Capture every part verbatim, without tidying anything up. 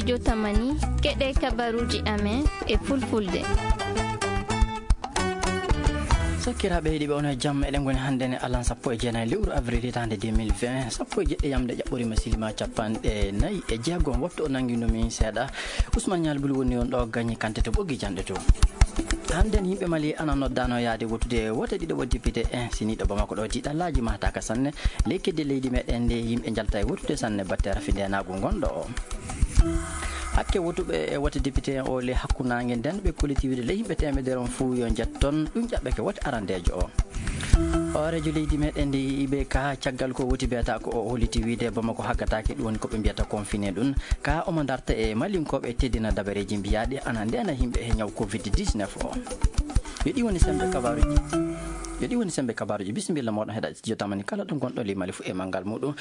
Jotamani, keɗe kabaruuji amen e fulfulde. Sakkiraaɓe heɗiiɓe, on e jam. Eɗen ngoni hannde ne alan sappo e jeenayi lewru avril hitaande deux mille vingt, sappo e jeɗɗi yamde ƴaɓɓoriima silima capanɗe nayi e jeegom. Wattu o nanngiino min seeɗa. Ousmane Nial Buli woni on ɗo gañi kante to ɓoggi janɗe to. Hannde ne yimɓe Mali ana noddaano yaade wotude wote ɗiɗo wo député en. Siniiɗo Bamako ɗo tiiɗallaaji mahtaaka sanne. Ley kedde leydi meɗen nde yimɓe njalta e wotude sanne batte rafi ndeenaagu ngonɗo o. Hakke wotuɓe e wote député en o ley hakkundaange nden ɓe kolliti wiide ley yimɓe teemedere on fuu yo njetton, ɗum ƴaɓɓeke wote arandeejo o. Hooreejo leydi meɗen ndi I B K caggal ko woti biyata ko o holliti wiide Bamako haggataake, ɗum woni ko ɓe mbiyata confiné ɗum. Ka omo darta e malinkooɓe teddina dabareeji mbiyaaɗi ana ndeena yimɓe e ñaw covid dix-neuf o. Yo ɗi woni sembe kabaaruji. Yo ɗi woni sembe kabaaruji. Bisimilla mooɗon heɗa studio tamani kala ɗo ngonɗo ley Mali fu e manngal muɗum.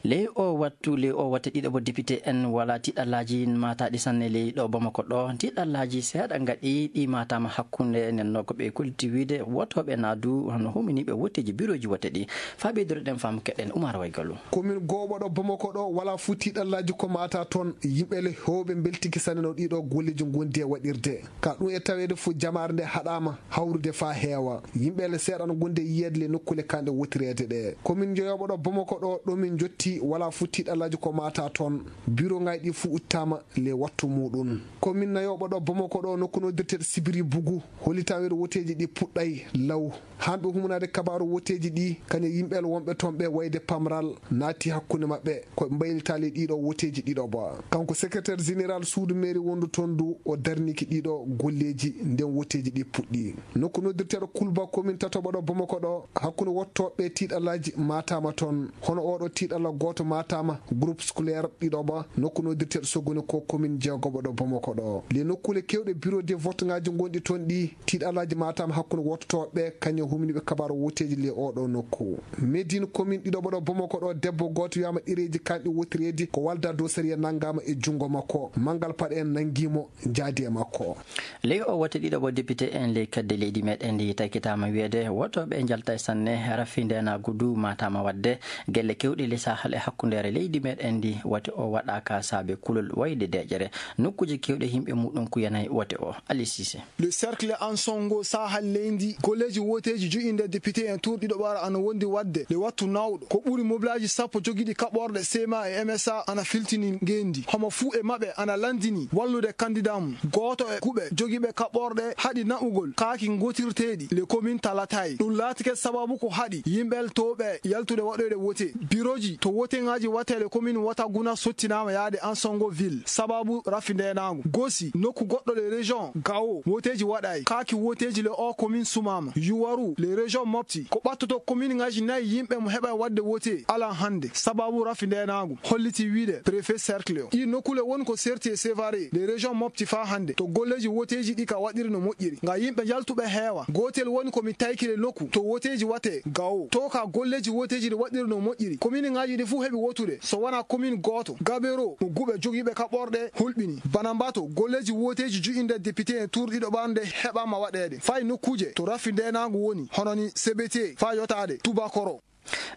Ley o wattu, ley o watte ɗiɗaɓo député en wala tiiɗallaaji maataaɗi sanne ley ɗo Bamako ɗo. Tiiɗallaaji seeɗa ngaɗi ɗi maataama hakkunde nden no ko ɓe kolliti wiide wotooɓe naa du hono huminiiɓe wotteeji birooji wote ɗi. Faa ɓeydoro ɗen faamu keɗen Umar Waygalu. Komin gooɓo ɗo Bamako ɗo wala fuu tiiɗallaaji ko maata toon. Yimɓe le heewɓe mbeltike sanne no ɗiɗo golleeji ngondi e waɗirde. Ka ɗum e taweede fuu jamaare nde haɗaama hawrude faa heewa. Yimɓe le seeɗa no ngondi e yiyeede le nokkuule kanɗe wotireede ɗe. Komin jeyoɓo ɗo Bamako ɗo, ɗo min njotti, wala fuu tiiɗallaaji ko maata toon. Birongaaji ɗi fuu uttaama le wattu muuɗum. Komin nayoɓo ɗo Bamako ɗo, nokku noddirteeɗo Sibiri Bugu, hollitaama wiide woteeji ɗi puɗɗay law. Hanɓe humnaade kabaaru woteeji ɗi, kañe yimɓe le wonɓe toon ɓe wayde pamral naati hakkunde maɓɓe, ko ɓe mbaylitaa le ɗiɗo woteeji ɗiɗo ba. Kanko secrétaire général suudu mairie wondu toon du, o darniki ɗiɗo golleeji nden woteeji ɗi puɗɗi. Nokku noddirteeɗo Kulba, komin tatoɓo ɗo Bamako ɗo, hakkunde wottooɓe tiiɗallaaji maataama toon. Hono oɗo tiiɗalla gooto maataama, groupe scolaire ɗiɗo ba, nokku noddirteeɗo Sogoni ko komin jeegoɓo ɗo Bamako ɗo. Le nokkuule keewɗe bureau de vote ngaaji ngonɗi toon ɗi, tiiɗallaaji maataama hakkunde wottooɓe, kañum humniiɓe kabaaru woteeji le oɗo nokku. Médine komin ɗiɗo ɗo Bamako ɗo, debbo gooto wiyaama ɗereeji kanɗi wotireedi ko walda dow sariya nanngaama e junngo makko. Manngal paɗe en nanngii mo, jaadi e makko. Ley o wote ɗiɗaɓo député en ley kedde leydi meɗen ndi taykitaama wiyeede wotooɓe njalta e sanne rafi ndeenaagu du maataama waɗde gelle keewɗe ley sahal e hakkundeere leydi meɗen ndi. Wote o waɗaaka saabe kulol wayde deeƴere. Nokkuuje keewɗe yimɓe muɗum kuyanay wote o. Ali Sise. Le cercle Ansongo sahal leydi golleeji woteeji joƴinde député en tour ɗiɗo ɓaara ana wondi waɗde le wattu nawɗo. Ko ɓuri mobilaaji sappo jogiiɗi kaɓorɗe C M A e M S A ana filtini ngeenndi. Homo fuu e maɓɓe ana lanndini wallude kanndidaa mum. Gooto e kuɓe jogiiɓe kaɓorɗe haɗi naɓugol kaaki ngootirteeɗi le commune Talatay. Ɗum laatike sabaabu ko haɗi yimɓe towɓe yaltude waɗoyde wote. Birooji to woteŋaaji waɗtee le commune Wataguna sottinaama yaade Ansongo ville sabaabu rafi ndeenaagu. Gosi nokku goɗɗo le région Gao woteeji waɗaay. Kaaki woteeji le o commune sumaama. Yuwaru le région Mopti ko ɓattoto commune ŋaaji nayi yimɓe mo heɓa waɗde wote alan hannde sabaabu rafi ndeenaagu, holliti wiide préfet cercle o. Ɗii nokkuule woni ko serti e Sévaré le région Mopti faa hannde to golleeji woteeji ɗi ka waɗiri no moƴƴiri. Nga yimɓe njaltuɓe heewa. Gootel woni ko mi taykiri nokku to woteeji waɗtee Gao. To ka golleeji woteeji ɗi waɗiri no moƴƴiri. Commune ŋaaji ɗi fuu heɓi wotude so wanaa commune gooto. Gabero mo guɓe jogiiɓe kaɓorɗe hulɓini. Banambato golleeji woteeji joƴinde député en tour ɗiɗo ɓaarnde heɓaama waɗeede. Fay nokkuuje to rafi ndeenaagu woni hono ni Sebete faa yotaade Tubakoro.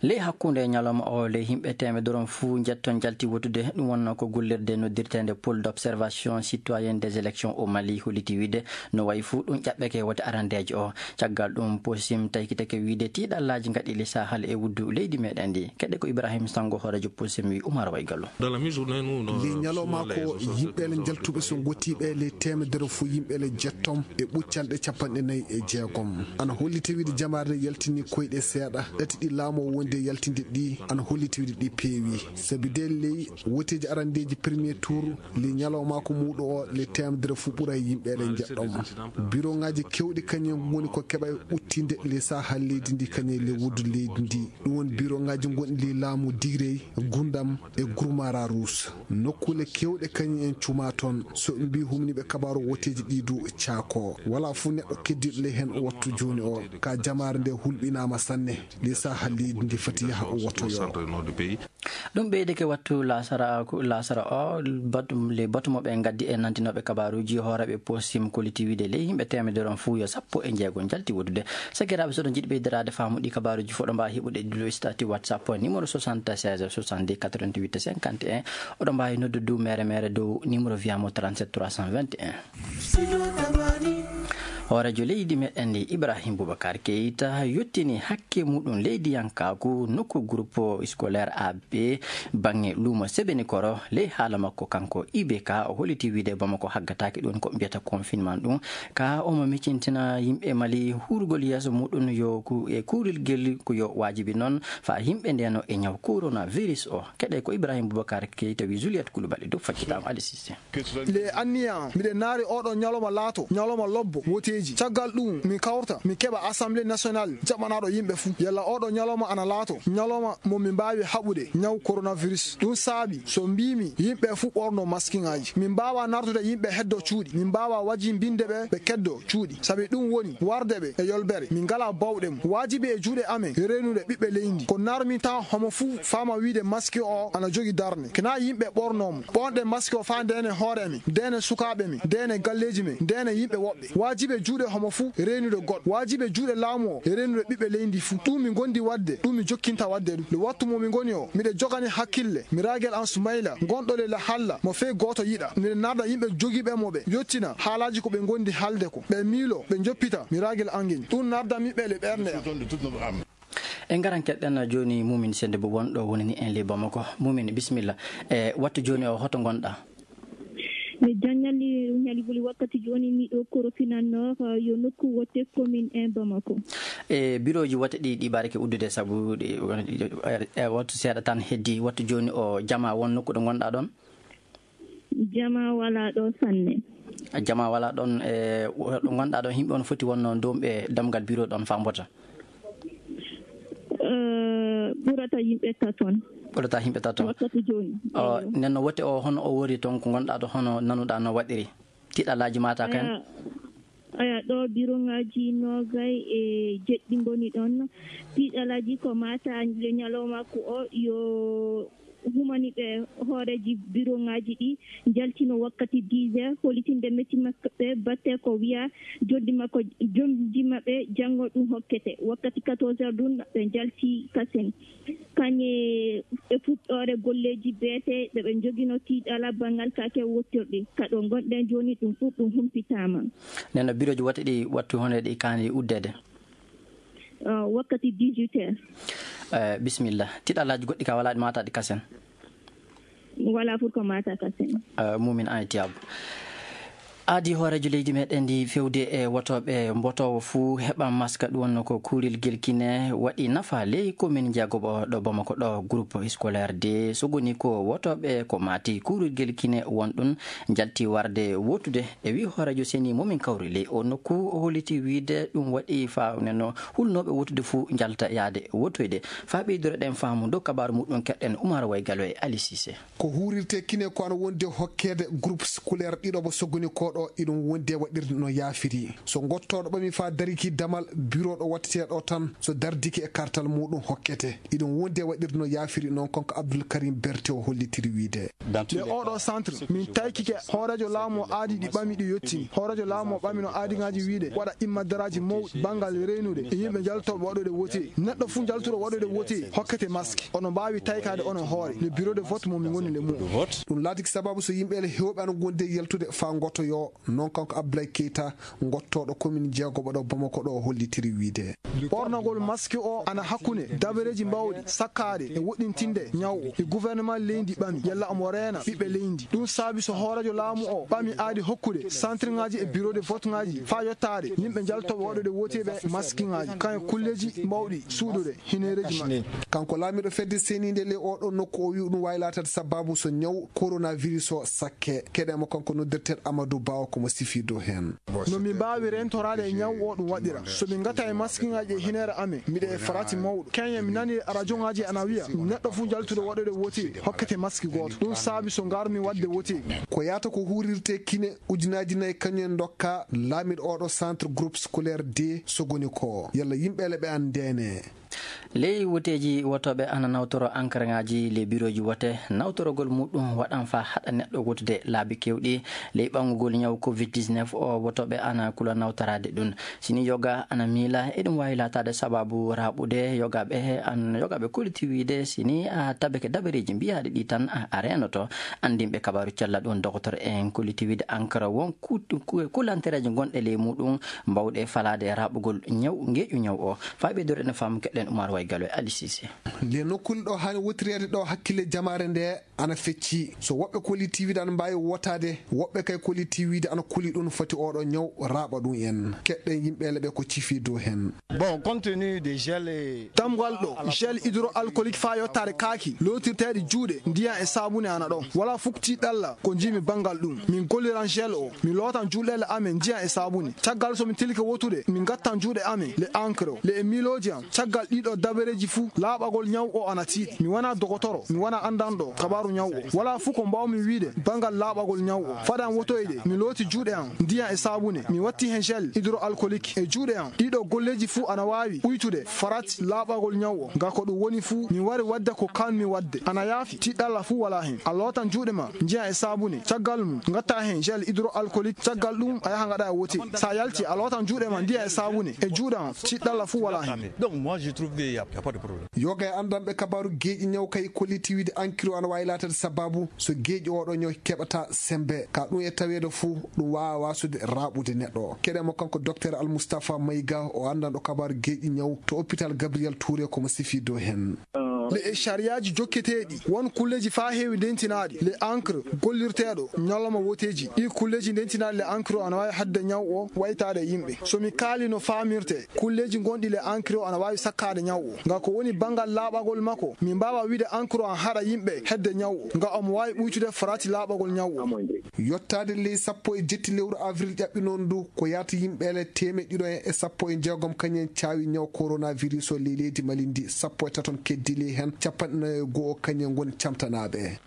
Ley hakkunde ñalawma o, ley yimɓe teemedere on fuu njetton njalti wotude. Ɗum wonnoo ko gollirde noddirteende Pôle d'observation citoyenne des élections au Mali holliti wiide no wayi fuu ɗum ƴaɓɓeke wote arandeejo o. Caggal ɗum, Posim taykitake wiide tiiɗallaaji ngaɗi ley sahal e wuddu leydi meɗen ndi. Keɗe ko Ibrahim Sango, hooreejo Posim, wi Umar Waygalu. Ley ñalawma ko yimɓe le njaltuɓe so ngottiiɓe ley teemedere fuu yimɓe le jetton e ɓuccanɗe capanɗe nayi e jeegom. Ana holliti wiide jamaare nde yaltini koyɗe seeɗa. Ɗati ɗi laamu o wondi e yaltinde ɗi ana holliti wiide ɗi peewi. Sabi de ley woteeji arandeeji premier tour, ley ñalawma ko muuɗo o, ley teemedere fuu ɓura e yimɓe le njeɗɗon. Biroŋaaji keewɗi kañum en ngoni ko keɓa e ɓuttinde ley sahal leydi ndi kañum e ley wuddu leydi ndi. Ɗum woni biroŋaaji ngonɗi ley laamu Diirey, Gundam e Gurmara Ruus. Nokkuule keewɗe kañum en cumaa toon. So ɓe mbii humniiɓe kabaaru woteeji ɗii du caakoo. Walaa fuu neɗɗo keddiiɗo ley heen o wattu jooni o. Ka jamaare nde hulɓinaama sanne. Ley sahal leydi ndi Fati yaha o wottoyoo. Ɗum ɓeydike wattu laasara, laasara o, batu, le batu mo ɓe ngaddi e nantinooɓe kabaaruuji, hooreeɓe posim koliti wiide ley yimɓe teemedere on fuu yo sappo e njeego njalti woɗɗude. Sakiraaɓe, so oɗon njiɗi ɓeydiraade faamu ɗi kabaaruuji fuu, oɗon mbaawi heɓude ɗi ɗo stati WhatsApp numéro soixante-seize soixante-deux quatre-vingt-huit cinquante et un. Oɗon mbaawi noddude du mere mere dow numéro wiyaamo trente-sept trois cent vingt et un. Hooreejo leydi meɗen ndi, Ibrahim Boubacar Keita, yottini hakke muɗum leydiyankaaku nokku groupe scolaire A B baŋŋe luumo Sebenikoro. Ley haala makko kanko I B K, o holliti wiide Bamako haggataake ɗum ko mbiyata confinement ɗum. Ka omo micintina yimɓe Mali hurgol yeeso muɗum yo ku-, e kuurirgel ko yo waajibi noon faa yimɓe ndeeno e ñaw coronavirus o. Keɗe ko Ibrahim Boubacar Keita wi Juliette Koulibaly dow faccitaama Ali Cissé. Le anniya an, miɗen naari ooɗoo ñalawma laato ñalawma lobbo woteeji. Caggal ɗum, min kawrta, min keɓa Assemblée nationale jaɓanaaɗo yimɓe fuu. Yalla ooɗoo ñalawma ana laato ñalawma mo min mbaawi haɓude ñaw coronavirus. Ɗum saabi, so mbiimi yimɓe fuu ɓorno maskiŋaaji. Min mbaawaa nartude yimɓe heddo cuuɗi. Min mbaawaa wajibinde ɓe, ɓe keddo cuuɗi. Sabi ɗum woni warde ɓe e yolbere. Min ngalaa baawɗe mum. Waajibi e juuɗe amen reenude ɓiɓɓe leydi. Ko narmi tan homo fuu faama wiide maski o ana jogii darnde. Kina yimɓe ɓornoo mo. Ɓoonɗe maski o faa ndeene hoore men, ndeene sukaaɓe men, ndeene galleeji men, ndeene yimɓe woɓɓe. Waajibi e juuɗe homo fuu reenude goɗɗo. Waajibi e juuɗe laamu o reenude ɓiɓɓe leydi fuu. Ɗum mi ngondi waɗde, ɗum mi jokkinta waɗde ɗum. Le wattu mo mi ngoni o, miɗe jogani hakkille, mi raagel an Sumayla, gonɗo le la halla, mo fey gooto yiɗa. Miɗe narda yimɓe jogiiɓe mo ɓe, yottina haalaaji ko ɓe ngondi haalde ko. Ɓe miilo, ɓe njoppita, mi raagel an ngel. Ɗum narda mi ɓe le ɓernde am. En ngaran keɗɗen jooni Mumin Sennde Boo wonɗo wonani en ley Bamako. Mumin, bisimilla. E wattu jooni o, hoto ngonɗaa? Mi janngali ñalibuli wakkati jooni miɗo korofinannoo, eh, yo nokku wote commune en Bamako. E birooji wote ɗi, ɗi barake uddude sabu ɗi, e, e wattu seeɗa tan heddi. Wattu jooni o, jamaa won nokku ɗo ngonɗaa ɗon? Jamaa walaa ɗo sanne. Jamaa walaa ɗon, e, ɗo ngonɗaa ɗon, yimɓe on foti wonno doomɓe damgal biro ɗon faa mbota? Eh, ɓurata yimɓe taton. Ɓurata yimɓe taton. Wakkati jooni. O, eyo. Nden no wote o, hono o wori ton, ko ngonɗaa ɗo, hono nanuɗaa no waɗiri? Tiɗalaaji mata kan? Aya, aya, ɗo biroŋaaji noogay e jeɗɗi ngoni ɗon. Tiɗalaaji ko mata le ñalawma ko o yo humani ɓe hooreeji biroŋaaji ɗi njaltino wakkati dix heures, hollitinde metti maɓɓe batte ko wiya joddi makko, jomdi maɓɓe janngo ɗum hokkete. Wakkati quatorze heures ɗum ɓe njalti kasen. Kañe e fuɗɗoore golleeji beete ɓe ɓe njogino tiiɗala banngal kaake wottirɗi. Ka ɗo ngonɗen jooni ɗum fof ɗum humpitaama. Nden no birooji wote ɗi wattu hono ɗi kaani uddeede? Eh, wakkati dix-huit heures. Eh, bisimilla. Tiɗalaaji goɗɗi ka walaa ɗi maata ɗi kasen? Walaa pour ko maata kasen. Eh, Mumin Aitiyab. Aadi hooreejo leydi meɗen ndi fewde e wotooɓe mbotoowo fuu heɓa maska, ɗum wonno ko kuurirgel Kine waɗi nafa ley komin jeegoɓo ɗo Bamako ɗo, groupe scolaire de Sogoni ko wotooɓe ko maati kuurirgel Kine won ɗum njalti warde wotude. E wii hooreejo seni momin kawri ley o nokku, o holliti wiide ɗum waɗi faa neno hulnooɓe wotude fuu njalta yaade wotoyde. Faa ɓeydoro ɗen faamu dow kabaaru muɗum keɗɗen Umar Waygalo e Ali Sise. Ko huurirtee Kine ko ana wondi e hokkeede groupe scolaire ɗiɗo mo Sogoni ko ɗo, iɗum wondi e waɗirde no yaafiri. So ngottooɗo ɓami faa dariki damal biro ɗo wattetee ɗo tan, so dardike e kartal muɗum hokkete. Iɗum wondi e waɗirde no yaafiri, non kanko Abdoul Karim Berté o hollitiri wiide. Le oɗo centre, min taykike hooreejo laamu o aadi ɗi ɓami ɗi yottini. Hooreejo laamu o ɓami no aadiŋaaji wiide waɗa immadaraaji mawɗi banngal reenude e yimɓe njaltooɓe waɗude wote. Neɗɗo fuu njaltuɗo waɗude wote hokkete maski. Onon mbaawi taykaade onon hoore le bureau de vote mo mi ngoni le mum. Ɗum laatiki sababu so yimɓe le heewɓe ana ngondi e yaltude faa ngottoyoo, non kanko Abdoulaye Keita, ngottooɗo komin jeegoɓo ɗo Bamako ɗo, hollitiri wiide. Ɓornagol maski o ana hakkunde dabareeji mbaawɗi sakkaaɗe e woɗɗintinde ñaw o. E gouvernement leydi ɓami yalla omo reena ɓiɓɓe leydi. Ɗum saabi so hooreejo laamu o ɓami aadi hokkude centreŋaaji e bureau de voteŋaaji faa yottaade yimɓe njaltooɓe waɗude woteeɓe maskiŋaaji, kañum e kulleeji mbaawɗi suuɗude hineereeji maɓɓe. Kanko laamiiɗo fedde seeniinde ley oɗo nokku o wii ɗum waawi laataade sababu so ñaw coronavirus o sakke. Keɗen mo kanko noddirteeɗo Amadou Ba o ko mo sifii dow heen. No min mbaawi reentoraade e ñaw o ɗum waɗira? So min ngata e maskiŋaaji e hineere amen, miɗe e farati mawɗo. Keñe mi nani e rajoŋaaji ana wiya neɗɗo fuu njaltuɗo waɗude wote hokkete maski gooto. Ɗum saabi so ngarmi waɗde wote. Ko yaata ko huurirtee Kine ujunaaji nayi kañum en ndokka laamiiɗo oɗo centre groupe scolaire de Sogoni ko. Yalla yimɓe le ɓe anndeene. Ley woteeji, wotooɓe ana nawtoro ankaraŋaaji ley birooji wote. Nawtorogol muuɗum waɗan faa haɗa neɗɗo wotude laabi keewɗi. Ley ɓangugol ñaw covid dix-neuf o, wotooɓe ana kula nawtoraade ɗum. Si ni yoga ana miila, eɗum waawi laataade sabaabu raaɓude yogaaɓe, an yogaaɓe koliti wiide, si ni a tabike dabareeji mbiyaaɗi ɗi tan, a, a reenoto. Anndinɓe kabaaru cella ɗum, doktor en koliti wiide ankara won ku-, ku-, kulantereeji gonɗe ley muuɗum mbaawɗe falaade raaɓugol ñaw, ngeeƴu ñaw o. Faa ɓeydoro en faamu, keɗɗen Umar Way Galo e Ali Sise. Nde nokkuure ɗo haani wotireede ɗo, hakkille jamaare nde ana fecci. So woɓɓe koliti wiide ana mbaawi wotaade, woɓɓe kay koliti wiide ana kuli ɗum foti oɗo ñaw raaɓa ɗum en. Keɗɗen yimɓe leɓe ko cifi dow hen. Bon, compte tenu des gels et Tamgal ɗo gel hydroalcoolique faa yottaade kaaki lootirteeɗi juuɗe, ndiyan e saabune ana ɗon. Walaa fuk tiiɗalla ko njiimi banngal ɗum. Min golliran gel o, min lootan juuɗeele amen ndiyan e saabune. Caggal so min tilike wotude, min ngattan juuɗe amen le encre o, le e miilooji an. Caggal ɗiɗo dabareeji fuu, laaɓagol ñaw o ana tiiɗi. Mi wanaa dogotoro, mi wanaa anndanɗo kabaaru ñaw o. Walaa fuu ko mbaawmi wiide banngal laaɓagol ñaw o. Fade an wotoyde, mi looti juuɗe an ndiyan e saabune, mi watti hen gel hydroalcoolique e juuɗe an. Ɗiɗo golleeji fuu ana waawi uytude farat laaɓagol ñaw o. Ngaa ko ɗum woni fuu, mi wari waɗde ko kaanmi waɗde. Ana yaafi, tiiɗalla fuu walaa hen. A lootan juuɗe ma ndiyan e saabune. Caggal mum, ngatta hen gel hydroalcoolique. Caggal ɗum, a yaha ngaɗa e wote. So a yalti, a lootan juuɗe ma ndiyan e saabune e juuɗe an. Tiiɗalla fuu walaa hen. Donc, moi, je trouve qu'il y a, il y a pas de problème. Yoga e anndanɓe kabaaru geeƴi ñaw kay kolliti wiide ankiri o ana waawi laataade sabaabu so geeƴi oɗo ñaw keɓata semmbe. Ka ɗum e taweede fuu, ɗum waawaa waasude raaɓude neɗɗo. Keɗen mo kanko Docteur Almustafa Mayga, o anndanɗo kabaaru geeƴi ñaw to hôpital Gabriel Touré, ko mo sifi dow hen. Le e sariyaaji jokketeeɗi, won kulleeji faa heewi ndentinaaɗi le encre gollirteeɗo ñalawma woteeji. Ɗii kulleeji ndentinaaɗi le encre o ana waawi haɗde ñaw o waytaade e yimɓe. So mi kaalii no faamirtee, kulleeji gonɗi le encre o ana waawi sakkaade ñaw o. Ngaa ko woni banngal laaɓagol makko, mi mbaawaa wiide encre o ana haɗa yimɓe heɓde ñaw o. Ngaa omo waawi ɓuytude farati laaɓagol ñaw o. Yottaade ley sappo e jetti lewru avril ƴaɓɓinoondu ndu, ko yaata yimɓe le teemeɗɗe ɗiɗo e sappo e jeegom kañum en caawi ñaw coronavirus o ley leydi Mali ndi, sappo e tato en keddii ley hen, capanɗe nayo e go'o kañum en ngoni camtanaaɓe.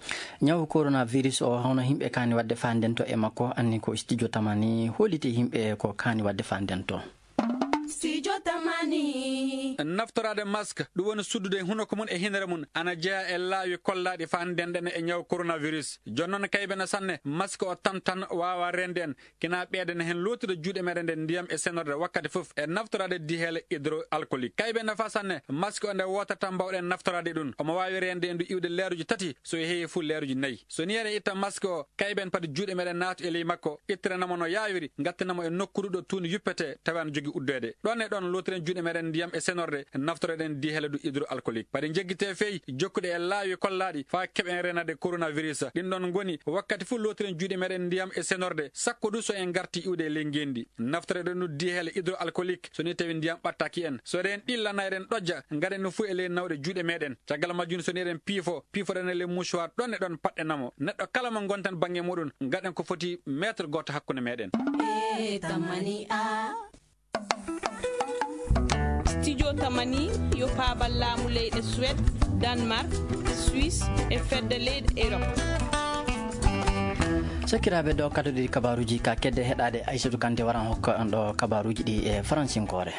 Ñaw coronavirus o, hono yimɓe kaani waɗde faa ndento e makko, anni ko studio Tamani holliti yimɓe ko kaani waɗde faa ndento. Studio Tamani. Naftoraade mask, ɗum woni suddude hunoko mum e hinere mum, ana jeyaa e laawi kollaaɗi faa ndenɗen e ñaw coronavirus. Jooni noon, kaybe na sanne, mask o tan tan waawaa reende en, kina ɓeydana hen lootude juuɗe meɗen nde ndiyam e senorde wakkati fof e naftoraade diheele hydroalcoolique. Kaybe nafa sanne, mask o nde wootata mbaawɗen naftoraade ɗum. Omo waawi reende en du iwde leeruji tati, so heewi fuu leeruji nayi. So nii eɗen itta mask o, kayben pati juuɗe meɗen naatu e ley makko, ittiranamo no yaawiri, ngattanamo e nokkuuru ɗo tuundi yuppete, tawi ana jogii uddeede. Ɗon e ɗon lootiren juuɗe meɗen ndiyam e senorde, naftoreɗen diheele du hydroalcoolique. Pati njeggitee fey jokkude e laawi kollaaɗi faa keɓen reenaade coronavirus. Ɗin ɗon ngoni, wakkati fuu lootiren juuɗe meɗen ndiyam e senorde, sakko du so en ngartii iwde e ley ngeenndi. Naftoreɗen du diheele hydroalcoolique, so nii tawi ndiyam ɓattaaki en. So eɗen ɗillana, eɗen ɗojja, ngaɗen ɗum fuu e ley nawɗe juuɗe meɗen. Caggal majjum, so nii eɗen piifo, piifoɗen e ley mouchoir, ɗon e ɗon paɗɗenamo. Neɗɗo kala mo ngonten bannge muɗum, ngaɗen ko foti mètre gooto hakkunde meɗen. Studio Tamani yo paabal laamu leyɗe Suède, Danemark, Suisse e fedde leyɗe Europe. Sakiraaɓe, ɗo kaddoɗi kabaaruuji ka kedde heɗaade, Aysatu Kante waran hokka on ɗo kabaaruuji ɗi e faransinkoore.